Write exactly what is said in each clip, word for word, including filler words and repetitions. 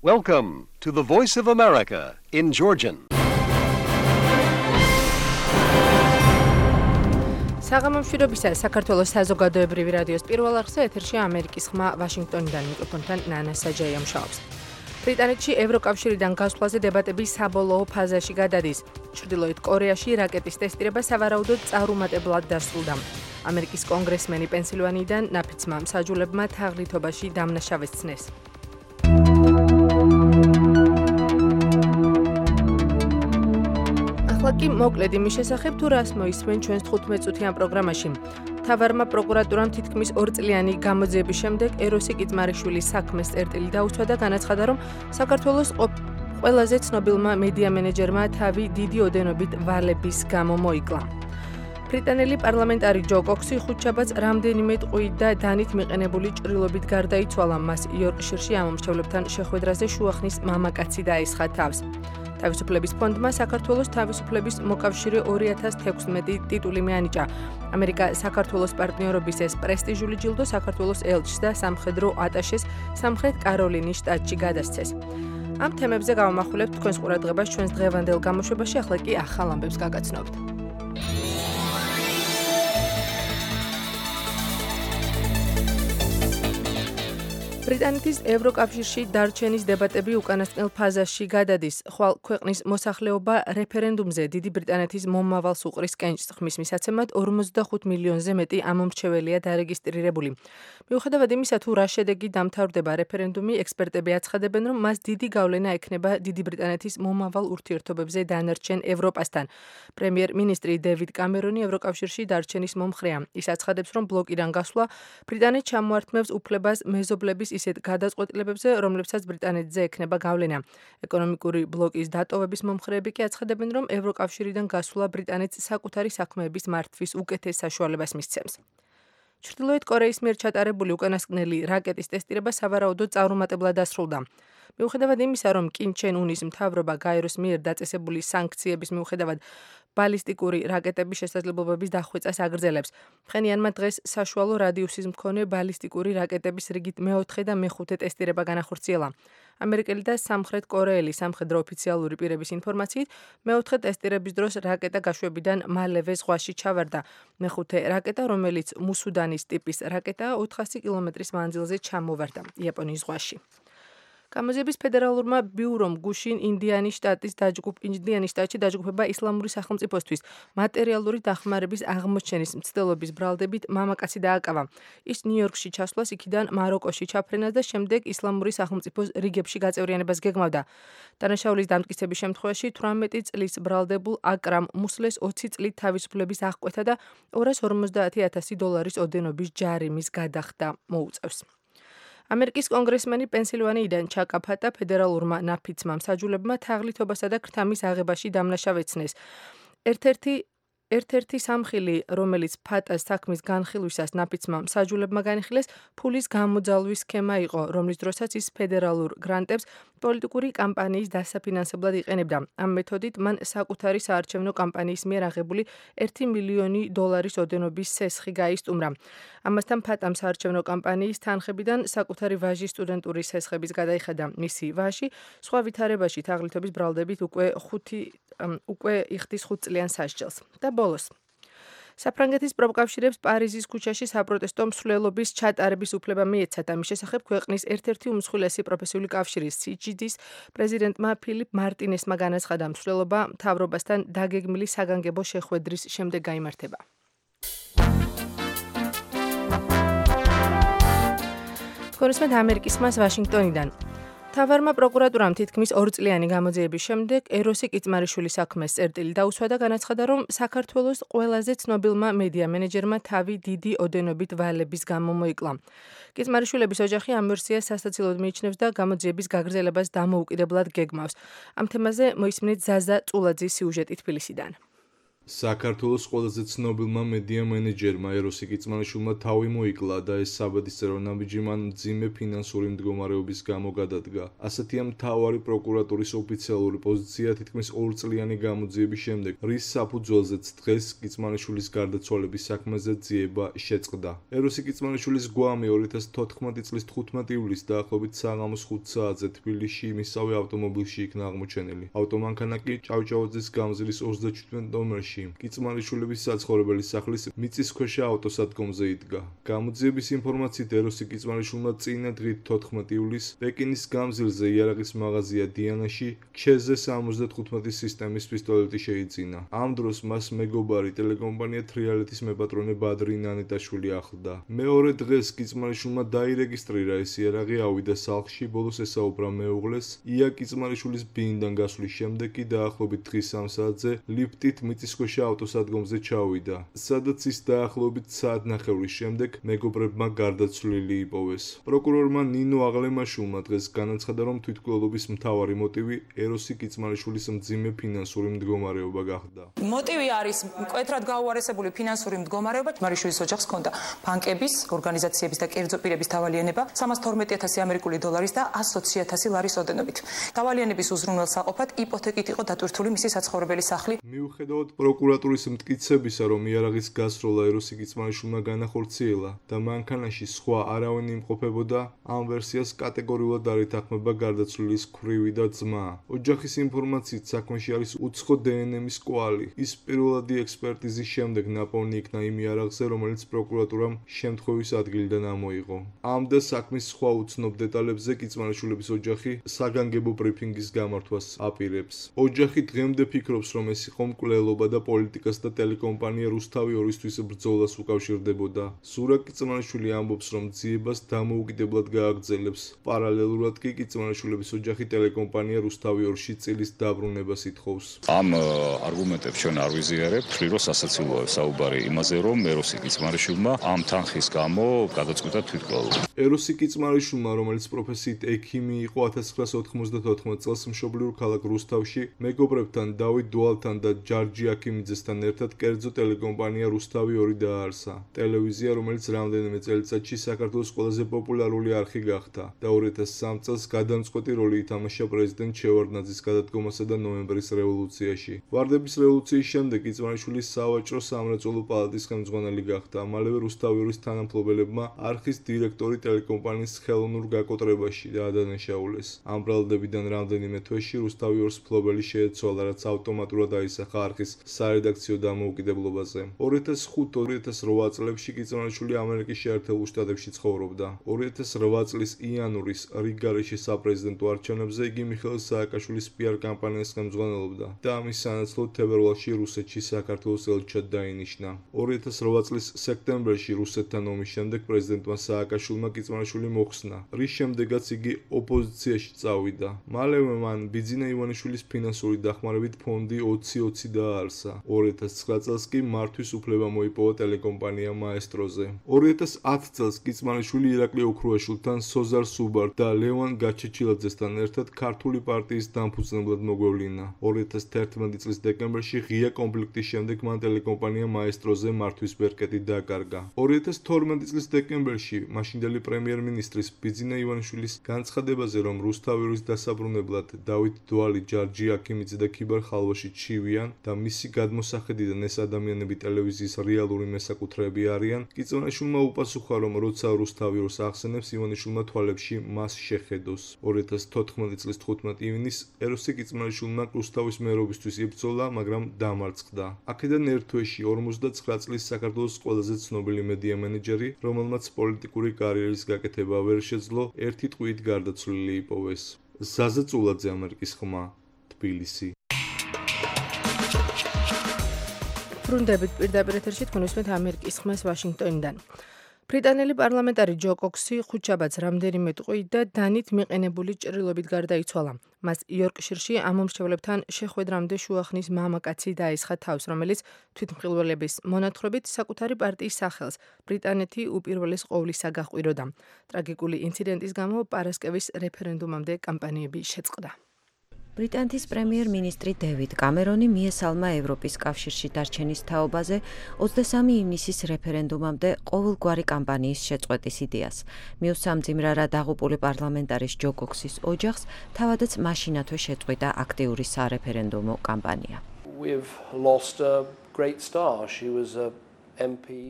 Welcome to the Voice of America in Georgian. საღამომშვიდობისა საქართველოს საზოგადოებრივი რადიოს პირველ არხზე ეთერში ამერიკის ხმა ვაშინგტონიდან მიკროფონთან ნანა საჯაია მუშაობს. ბრიტანეთში ევროკავშირიდან გასვლაზე დებატები საბოლოო ფაზაში გადადის. ჩრდილოეთ კორეაში რაკეტის ტესტირება სავარაუდოდ წარუმატებლად დასრულდა. ამერიკის კონგრესმენი პენსილვანიიდან ნაფიცმა მსაჯულებმა თაღლითობაში დამნაშავეს ცნეს. ახლა მოკლედ იმის შესახებ თუ რას მოისმენ ჩვენს თხუთმეტ წუთიან პროგრამაში. მთავარმა პროკურატურამ თითქმის ორწლიანი გამოძიების შემდეგ ეროსი კიწმარიშვილის საქმეს წერტილი დაუცვა და განაცხადა, რომ საქართველოს ყველაზე ცნობილმა მედია მენეჯერმა თავი დიდი ოდენობით ვალების გამო მოიკლა. ბრიტანელი პარლამენტარი ჯო კოქსი ხუთშაბათს რამდენიმე ტყვით და დანით მიყენებული ჭრილობით გარდაიცვალა. მას იორკშირში ამომრჩევლებთან შეხვედრაზე შუახნის მამაკაცი დაესხა თავს. თავისუფლების ფონდმა საქართველოს თავისუფლების მოკავშირე ორი ათას თექვსმეტი ტიტული მიანიჭა. ამერიკა საქართველოს პარტნიორობის ეს პრესტიჟული ჯილდო საქართველოს ელჩს და სამხედრო ატაშეს სამხრეთ კაროლინის შტატში გადასცეს. ამ თემებზე გავამახვილებთ თქვენს ყურადღებას ჩვენს დღევანდელ გამოშვებაში, ახლა კი ახალ ამბებს გაგაცნობთ. ბრიტანეთის ევროკავშირში დარჩენის დებატები უკანასკნელ ფაზაში გადადის. ხვალ ქვეყნის მოსახლეობა რეფერენდუმზე დიდი ბრიტანეთის მომავალს უყრის კენჭს, ხმის მისაცემად ორმოცდახუთ მილიონზე მეტი ამომრჩეველია დარეგისტრირებული. მიუხედავად იმისა, თუ რა შედეგი დამთავრდება რეფერენდუმი, ექსპერტები აცხადებენ, რომ მას დიდი გავლენა ექნება დიდი ბრიტანეთის მომავალ ურთიერთობებზე დანარჩენ ევროპასთან. პრემიერ-მინისტრი დევიდ კამერონი ევროკავშირში დარჩენის მომხრეა. ის აცხადებს, რომ ბლოკიდან გასვლა ბრიტანეთს ჩამოართმევს უფლებას მეზობლების ისეთ გადაწყვეტილებებზე, რომლებსაც ბრიტანეთზე ექნება გავლენა. ეკონომიკური ბლოკის დატოვების მომხრეები კი აცხადებენ, რომ ევროკავშირიდან გასვლა ბრიტანეთს საკუთარი საქმეების მართვის უკეთეს საშუალებას მისცემს. ჩრდილოეთ კორეის მიერ ჩატარებული უკანასკნელი რაკეტის ტესტირება სავარაუდოდ წარუმატებლად დასრულდა. მიუხედავად იმისა, რომ კიმ ჩენ უნის მთავრობა გაეროს მიერ დაწესებული სანქციების მიუხედავად ბალისტიკური რაკეტების შესაძლებლობების დახვეწას აგრძელებს. მხენიანმა დღეს საშუალო რადიუსის მქონე ბალისტიკური რაკეტების რიგით მეოთხე და მეხუთე ტესტირება განახორციელა. ამერიკელი და სამხრეთ კორეელი სამხედრო ოფიციალური პირების ინფორმაციით, მეოთხე ტესტირების დროს რაკეტა გაშვებიდან მალევე ზღვაში ჩავარდა. მეხუთე რაკეტა, რომელიც მუსუდანის ტიპის რაკეტაა, ოთხასი კილომეტრის მანძილზე ჩამოვარდა იაპონიის ზღვაში. გამოძიების ფედერალურმა ბიურომ გუშინ ინდიანის შტატის დაჯგუფ ინდიანის შტატში დაჯგუფება ისლამური სახელმწიფოსთვის მატერიალური დახმარების აღმოჩენის მცდელობის ბრალდებით მამაკაცი დააკავა. ის ნიუ-იორკში ჩასვლას, იქიდან მაროკოში ჩაფრენას და შემდეგ ისლამური სახელმწიფოს რიგებში გაწევრიანებას გეგმავდა. დანაშაულის დამტკიცების შემთხვევაში თვრამეტი წლის ბრალდებულ აკრამ მუსლეს ოცი წლით თავისუფლების აღკვეთა და ორას ორმოცდაათი ათასი დოლარის ოდენობის ჯარიმის გადახდა მოუწევს. ამერიკის კონგრესმენი პენსილვანიიდან ჩაკაფატა ფედერალურმა ნაფიცმა მსაჯულებმა თაღლითობასა და ქრთამის აღებაში დამნაშავე ცნეს. ერთ-ერთი ერთ-ერთი სამხილი, რომელიც ფატას საქმის განხილვისას ნაფიცმა მსაჯულებმა განიხილეს, ფულის გამოძალვის სქემა იყო, რომლის დროსაც ის ფედერალურ გრანტებს პოლიტიკური კამპანიის დასაფინანსებლად იყენებდა. ამ მეთოდით მან საკუთარი საარჩევნო კამპანიის მიერ აღებული ერთი მილიონი დოლარის ოდენობის სესხი გაისტუმრა. ამასთან ფატამ საარჩევნო კამპანიის თანხებიდან საკუთარი ვაჟის სტუდენტური სესხების გადაიხადა. მისი ვაჟი სხვა ვითარებაში თაღლითობის ბრალდებით უკვე ხუთი უკვე იხდის ხუთწლიან სასჯელს. და ბოლოს. საფრანგეთის პროფკავშირებს პარიზის ქუჩაში საპროტესტო მსვლელობის ჩატარების უფლება მიეცათ. ამის შესახებ ქვეყნის ერთ-ერთი უმსხვილესი პროფესიული კავშირი სი ჯი დის პრეზიდენტმა ფილიპ მარტინესმა განაცხადა, მსვლელობა მთავრობასთან დაგეგმილი საგანგებო შეხვედრის შემდეგ გაიმართება. კონგრესმენ ამერიკის ხმას ვაშინგტონიდან. მთავარმა პროკურატურამ თითქმის ორწლიანი გამოძიების შემდეგ ეროსი კიწმარიშვილის საქმეს წერტილი დაუსვა და განაცხადა, რომ საქართველოს ყველაზე ცნობილმა მედია მენეჯერმა თავი დიდი ოდენობით ვალების გამო მოიკლა. კიწმარიშვილების ოჯახი ამ ვერსიას სასაცილოდ მიიჩნევს და გამოძიების გაგრძელებას დამოუკიდებლად გეგმავს. ამ თემაზე მოისმინეთ ზაზა წულაძის სიუჟეტი თბილისიდან. საქართველოს ყველაზე ცნობილმა მედია მენეჯერმა ეროსი კიწმანიშვილმა თავი მოიკლა და ეს საბედისწერო რომ ნაბიჯი მან მძიმე ფინანსური მდგომარეობის გამო გადადგა. ასეთია მთავარი პროკურატურის ოფიციალური პოზიცია თითქმის ორწლიანი გამოძიების შემდეგ, რის საფუძველზეც დღეს კიწმანიშვილის გარდაცვალების საქმეზე ძიება შეწყდა. ეროსი კიწმანიშვილის გვამი ორი ათას თოთხმეტი წლის თხუთმეტი ივლისს დაახლოებით საღამოს ხუთ საათზე თბილისში მისავე ავტომობილში იქნა აღმოჩენილი. ავტომანქანა კი ჭავჭავაძის გამზირის ოცდაჩვიდმეტ ნომერში კიწმანიშვილების საცხოვრებელი სახლის მიწისქვეშა ავტოსადგომზე იდგა. გამოძიების ინფორმაციით ეროსი კიწმანიშვილმა წინა დღით თოთხმეტი ივლისს პეკინის გამზირზე იარაღის მაღაზია დიანაში ქშეზე სამოცდათხუთმეტი სისტემის პისტოლეტი შეიძინა. ამ დროს მას მეგობარი ტელეკომპანია თრიალეთის მეპატრონე ბადრი ნანეტაშვილი ახლდა. მეორე დღეს კიწმანიშვილმა დაირეგისტრირა ეს იარაღი, ავიდა სახლში, ბოლოს ესაუბრა მეუღლეს. ია კიწმანიშვილის ბინიდან გასვლის შემდეგ კი დაახლოებით დღის სამ საათზე ლიფტით მიწისქვეშა ავტოსადგომზე ჩავიდა, სადაც ის დაახლოებით საათნახევრის შემდეგ მეგობრებმა გარდაცვლილი იპოვეს. პროკურორმა ნინო აღლემაშვილმა დღეს განაცხადა, რომ თვითმკვლელობის მთავარი მოტივი ეროსი კიწმანიშვილის მძიმე ფინანსური მდგომარეობა გახდა. მოტივი არის მკვეთრად გაუარესებული ფინანსური მდგომარეობა. კიწმანიშვილის ოჯახს ჰქონდა ბანკების, ორგანიზაციების და კერძო პირების დავალიანება სამას თორმეტი ათასი ამერიკული დოლარის და ასი ოცი ათასი ლარის ოდენობით. დავალიანების უზრუნველსაყოფად იპოთეკით იყო დატვირთული მისი საცხოვრებელი სახლი. მიუხედავად პროკურატურის მტკიცებისა, რომ იარაღის გასროლა ეროსი კიწმანიშვილმა განახორციელა და მანქანაში სხვა არავინ იმყოფებოდა, ამ ვერსიას კატეგორიულად არ ითანხმება გარდაცვლილის ქვრივი და ძმა. ოჯახის ინფორმაციით საქმეში არის უცხო დნმ-ის კვალი. ის პირველადი ექსპერტიზის შემდეგ ნაპოვნი იქნა იმ იარაღზე, რომელიც პროკურატურამ შემთხვევის ადგილიდან ამოიღო. ამ და საქმის სხვა უცნობ დეტალებზე კიწმანიშვილების ოჯახი საგანგებო ბრიფინგის გამართვას აპირებს. ოჯახი დღემდე ფიქრობს, რომ ეს იყო მკვლელობა და პოლიტიკას და ტელეკომპანია რუსთავი ორისთვის ბრძოლას უკავშირდებოდა. ზურაბ კიწმანიშვილი ამბობს, რომ ძიებას დამოუკიდებლად გააგრძელებს. პარალელურად კი კიწმანიშვილების ოჯახი ტელეკომპანია რუსთავი ორში წილის დაბრუნებას ითხოვს. ამ არგუმენტებს ჩვენ არ ვიზიარებთ, ხშირად სასაცილოა საუბარი იმაზე, რომ ეროსი კიწმარიშვილმა ამ თანხის გამო გადაწყვიტა თვითმკვლელობა. ეროსი კიწმარიშვილმა, რომელიც პროფესიით ექიმი იყო, ათას ცხრაასა ოთხმოცდათოთხმეტ წელს მშობლიურ ქალაქ რუსთავში მეგობრებთან დავით დუალთან და ჯარჯი აქიმიძესთან ერთად კერძო ტელეკომპანია რუსთავი ორი დააარსა. ტელევიზია, რომელიც რამდენიმე წელიწადში საქართველოს ყველაზე პოპულარული არხი გახდა და ორი ათას სამ წელს გადამწყვეტი როლი ითამაშა პრეზიდენტ შევარდნაძის გადადგომასა და ნოემბრის რევოლუციაში. ვარდების რევოლუციის შემდეგ კიწმანიშვილი სავაჭრო სამრეწველო პალატის ხელმძღვანელი გახდა. მალევე რუსთავი ორის თანამფლობელებმა არხის დირექტორი ტელეკომპანიის ხელოვნურ გაკოტრებაში დაადანაშაულეს. ამ ბრალდებიდან რამდენიმე თვეში რუსთავი ორს მფლობელი შეეცვალა, რაც ავტომატურად აისახა არხის სარედაქციო დამოუკიდებლობაზე. ორი ათას ხუთ ორი ათას რვა წლებში კიწმანიშვილი ამერიკის შეერთებულ შტატებში ცხოვრობდა. ორი ათას რვა წლის იანვრის რიგგარეშე საპრეზიდენტო არჩევნებზე იგი მიხეილ სააკაშვილის პიარ კამპანიას ხელმძღვანელობდა და ამის სანაცვლოდ თებერვალში რუსეთში საქართველოს ელჩად დაინიშნა. ორი ათას რვა წლის სექტემბერში რუსეთთან ომის შემდეგ პრეზიდენტმა სააკაშვილმა კიწმანიშვილი მოხსნა, რის შემდეგაც იგი ოპოზიციაში წავიდა. მალევე მან ბიძინა ივანიშვილის ფინანსური დახმარებით ფონდი ოცი ოცი დააარსა. ორი ათას ცხრა წელს კი მართვის უფლება მოიპოვა ტელეკომპანია მაესტროზე. ორი ათას ათ წელს კიწმანიშვილი ირაკლი ოქრუაშვილთან, სოზარ სუბარ და ლევან გაჩეჩილაძესთან ერთად ქართული პარტიის დამფუძნებლად მოგვევლინა. ორი ათას თერთმეტი წლის დეკემბერში ღია კონფლიქტის შემდეგ მან ტელეკომპანია მაესტროზე მართვის ბერკეტი დაკარგა. ორი ათას თორმეტი წლის დეკემბერში მაშინდელი პრემიერ-მინისტრის ბიძინა ივანიშვილის განცხადებაზე, რომ რუსთავის დასაბრუნებლად დავით დვალი, ჯარჯი აქიმიძე და ქიბარ ხალვაში ჩივიან და მისი გადმოსახედიდან ეს ადამიანები ტელევიზიის რეალური მესაკუთრეები არიან, კიწმანიშვილმა უპასუხა, რომ როცა რუსთავი ორს ახსენებს, ივანიშვილმა თვალებში მას შეხედოს. ორი ათას თოთხმეტი წლის თხუთმეტი ივნისს ეროსი კიწმანიშვილმა რუსთავის მერობისთვის იბრძოლა, მაგრამ დამარცხდა. აქედან ერთ თვეში ორმოცდაცხრა წლის საქართველოს ყველაზე ცნობილი მედია მენეჯერი, რომელმაც პოლიტიკური კარიერის გაკეთება ვერ შეძლო, ერთი ტყვიით გარდაცვლილი იპოვეს. ზაზა წულაძე, ამერიკის ხმა, თბილისი. ბრუნდებით პირდაპირ ეთერში თქვენ უსმენთ ამერიკის ხმას ვაშინგტონიდან. ბრიტანელი პარლამენტარი ჯო კოქსი ხუთშაბათს რამდენიმე ტყვით და დანით მიყენებული ჭრილობით გარდაიცვალა. მას იორკშირში ამომრჩევლებთან შეხვედრამდე შუახნის მამაკაცი დაესხა თავს, რომელიც თვითმხილველების მონათხრობით საკუთარი პარტიის სახელს ბრიტანეთი უპირველეს ყოვლისა გაჰყვიროდა. ტრაგიკული ინციდენტის გამო პარასკევის რეფერენდუმამდე კამპანიები შეწყდა. ბრიტანეთის პრემიერ-მინისტრი დევიდ კამერონი მიესალმა ევროპის კავშირში დარჩენის თაობაზე ოცდასამი ივნისის რეფერენდუმამდე ყოველგვარი კამპანიის შეწყვეტის იდეას. მიუსამძიმრა რა დაღუპული პარლამენტარის ჯო კოქსის ოჯახს, თავადაც მაშინათვე შეწყვიტა აქტიური სარეფერენდუმო კამპანია.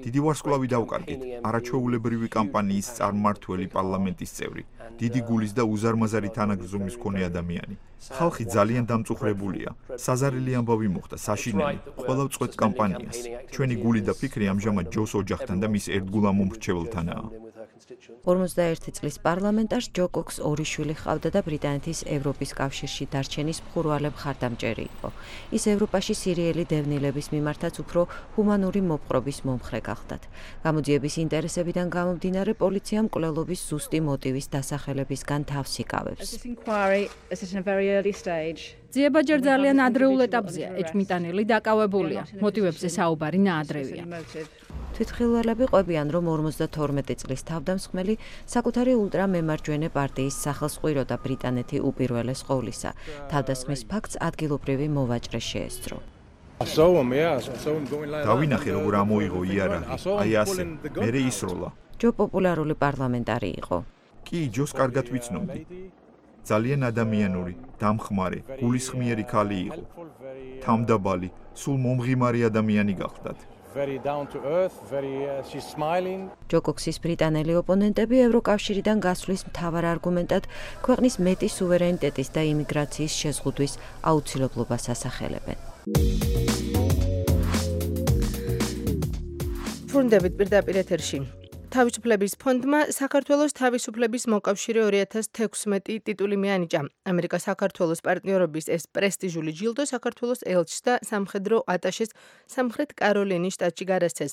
დიდი ვარსკვლავი დავკარგეთ, არაჩვეულებრივი კამპანიის წარმმართველი პარლამენტის წევრი, დიდი გულის და უზარმაზარი თანაგრძნობის მქონე ადამიანი. ხალხი ძალიან დამწუხრებულია. საზარელი ამბავი მოხდა, საშინელი, ყველა ვწყვეტ კამპანიას. ჩვენი გული და ფიქრი ამჟამად ჯოს ოჯახთან და მის ერთგულ ამომრჩეველთანაა. ორმოცდაერთი წლის პარლამენტარს ჯო კოქს ორი შვილი ჰყავდა და ბრიტანეთის ევროპის კავშირში დარჩენის მხურვალე მხარდამჭერი იყო. ის ევროპაში სირიელი დევნილების მიმართაც უფრო ჰუმანური მოპყრობის მომხრე გახდათ. გამოძიების ინტერესებიდან გამომდინარე, პოლიციამ მკვლელობის ზუსტი მოტივის დასახელებისგან თავს იკავებს. ძიება ჯერ ძალიან ადრეულ ეტაპზეა, ეჭვმიტანილი დაკავებულია. მოტივებზე საუბარი ნაადრევია. თვითმხილველები ყვებიან, რომ ორმოცდათორმეტი წლის თავდამსხმელი საკუთარი ულტრამემარჯვენე პარტიის სახელს ყვიროდა ბრიტანეთი უპირველეს ყოვლისა. თავდასხმის ფაქტს ადგილობრივი მოვაჭრე შეესწრო. დავინახე, როგორ ამოიღო იარაღი, აი ასე, მერე ისროლა. ჯო პოპულარული პარლამენტარი იყო. კი, ჯოს კარგად ვიცნობდი. ძალიან ადამიანური, დამხმარე, გულისხმიერი ქალი იყო. თამდაბალი, სულ მომღიმარი ადამიანი გახლდათ. ჯო კოქსის ბრიტანელი ოპონენტები ევროკავშირიდან გასვლის მთავარ არგუმენტად ქვეყნის მეტი სუვერენიტეტის და იმიგრაციის შეზღუდვის აუცილებლობას ასახელებენ. ბრუნდებით პირდაპირ ეთერში. თავისუფლების ფონდმა საქართველოს თავისუფლების მოკავშირე ორი ათას თექვსმეტი ტიტული მიანიჭა. ამერიკა საქართველოს პარტნიორობის ეს პრესტიჟული ჯილდო საქართველოს ელჩს და სამხედრო ატაშეს სამხრეთ კაროლინის შტატში გადასცეს.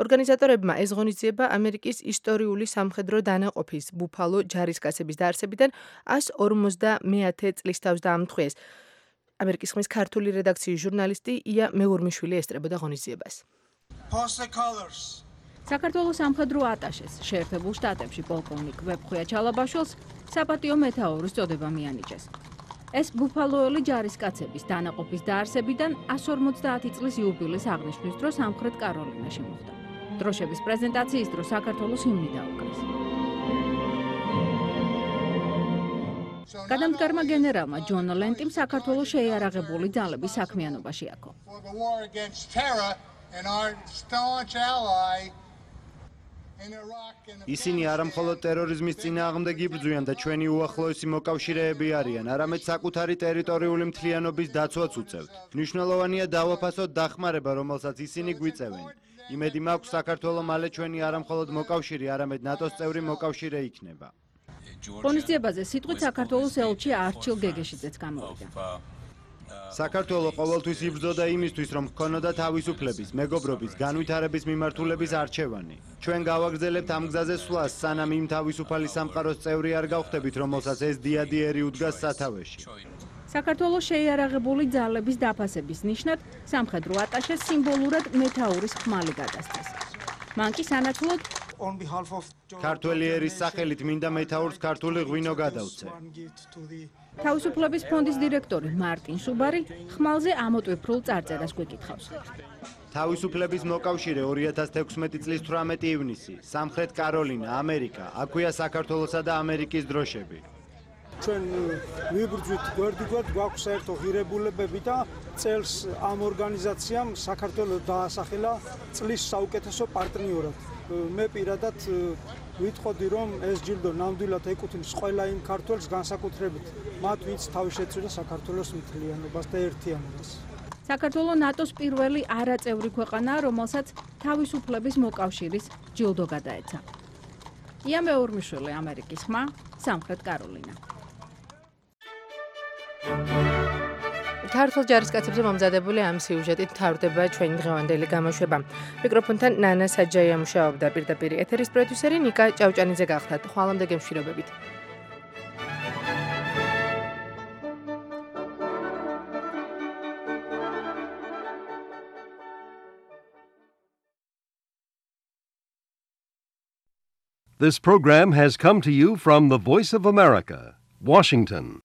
ორგანიზატორებმა ეს ღონისძიება ამერიკის ისტორიული სამხედრო დანაყოფის ბუფალო ჯარისკაცების დაარსებიდან ასი ორმოცდამეათე წლის თავს დაამთხვიეს. ამერიკის ხმის ქართული რედაქციის ჟურნალისტი ია მეურმიშვილი ესწრებოდა ღონისძიებას. საქართველოს სამხედრო ატაშეს შეერთებულ შტატებში პოლკოვნიკ ვებხვია ჩალაბაშვილს საპატიო მეთაურის წოდება მიანიჭეს. ეს ბუფალოელი ჯარისკაცების დანაყოფის დაარსებიდან ასი ორმოცდაათი წლის იუბილეს აღნიშვნის დროს სამხრეთ კაროლინაში მოხდა. დროშების პრეზენტაციის დროს საქართველოს ჰიმნი დაუკრეს. გადამდგარმა გენერალმა ჯონ ლენტიმ საქართველოს შეიარაღებული ძალების საქმიანობაში აქო. ისინი არა მხოლოდ ტერორიზმის წინააღმდეგ იბრძვიან და ჩვენი უახლოესი მოკავშირეები არიან, არამედ საკუთარი ტერიტორიული მთლიანობის დაცვაც უწევთ. მნიშვნელოვანია დავაფასოთ დახმარება, რომელსაც ისინი გვიწევენ. იმედი მაქვს, საქართველო მალე ჩვენი არა მხოლოდ მოკავშირე, არამედ ნატოს წევრი მოკავშირე იქნება. ღონისძიებაზე სიტყვით საქართველოს ელჩი არჩილ გეგეშიძეც გამოვიდა. საქართველო ყოველთვის იბრძოდა იმისთვის, რომ ჰქონოდა თავისუფლების, მეგობრობის, განვითარების მიმართულების არჩევანი. ჩვენ გავაგრძელებთ ამ გზაზე სვლას, სანამ იმ თავისუფალი სამყაროს წევრი არ გავხდებით, რომელსაც ეს დიადიერი უდგას სათავეში. საქართველოს შეიარაღებული ძალების დაფასების ნიშნად სამხედრო ატაშეს სიმბოლურად მეთაურის ხმალი გადასცეს. მან კი სანაცვლოდ ქართველი ერის სახელით მინდა მეთაურს ქართული ღვინო გადავცე. თავისუფლების ფონდის დირექტორი მარტინ სუბარი ხმალზე ამოტვიფრულ წარწერას გვეკითხავს. თავისუფლების მოკავშირე ორი ათას თექვსმეტი წლის თვრამეტი ივნისი, სამხრეთ კაროლინა, ამერიკა, აქვეა საქართველოსა და ამერიკის დროშები. ჩვენ ვიბრძვით გვერდიგვერდ, გვაქვს საერთო ღირებულებები და წელს ამ ორგანიზაციამ საქართველოს დაასახელა წლის საუკეთესო პარტნიორად. მე პირადად ვიტყოდი, რომ ეს ჯილდო ნამდვილად ეკუთვნის ყველა იმ ქართველს, განსაკუთრებით მათ, ვინც თავი შეწირა საქართველოს მთლიანობას და ერთიანობას. საქართველო ნატოს პირველი არაწევრი ქვეყანაა, რომელსაც თავისუფლების მოკავშირის ჯილდო გადაეცა. ია მეურმიშვილი, ამერიკის ხმა, სამხრეთ კაროლინა. ქართულ ჯარისკაცებზე მომზადებული ამ სიუჟეტით მთავრდება ჩვენი დღევანდელი გამოშვება. მიკროფონთან ნანა საჯაია მუშაობდა, პირდაპირ ეთერის პროდიუსერი ნიკა ჭავჭანიძე გახდათ. ხვალამდე გემშვიდობებით. This program has come to you from the Voice of America, Washington.